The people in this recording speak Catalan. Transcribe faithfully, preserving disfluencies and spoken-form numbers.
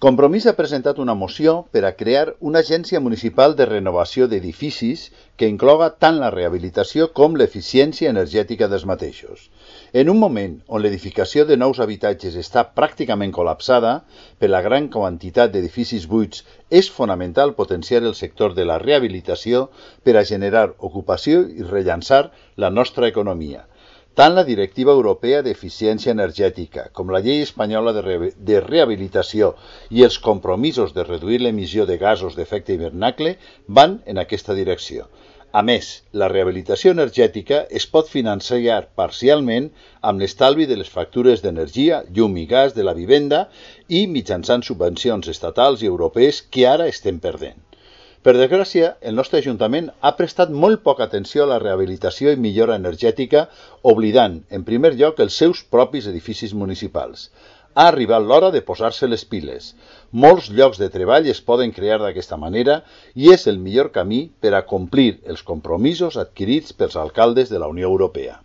Compromís ha presentat una moció per a crear una agència municipal de renovació d'edificis que incloga tant la rehabilitació com l'eficiència energètica dels mateixos. En un moment on l'edificació de nous habitatges està pràcticament col·lapsada per la gran quantitat d'edificis buits, és fonamental potenciar el sector de la rehabilitació per a generar ocupació i rellançar la nostra economia. Tant la Directiva Europea d'Eficiència Energètica com la Llei Espanyola de, re de Rehabilitació i els compromisos de reduir l'emissió de gasos d'efecte hivernacle van en aquesta direcció. A més, la rehabilitació energètica es pot financiar parcialment amb l'estalvi de les factures d'energia, llum i gas de la vivenda i mitjançant subvencions estatals i europees que ara estem perdent. Per desgràcia, el nostre Ajuntament ha prestat molt poca atenció a la rehabilitació i millora energètica, oblidant, en primer lloc, els seus propis edificis municipals. Ha arribat l'hora de posar-se les piles. Molts llocs de treball es poden crear d'aquesta manera i és el millor camí per a complir els compromisos adquirits pels alcaldes de la Unió Europea.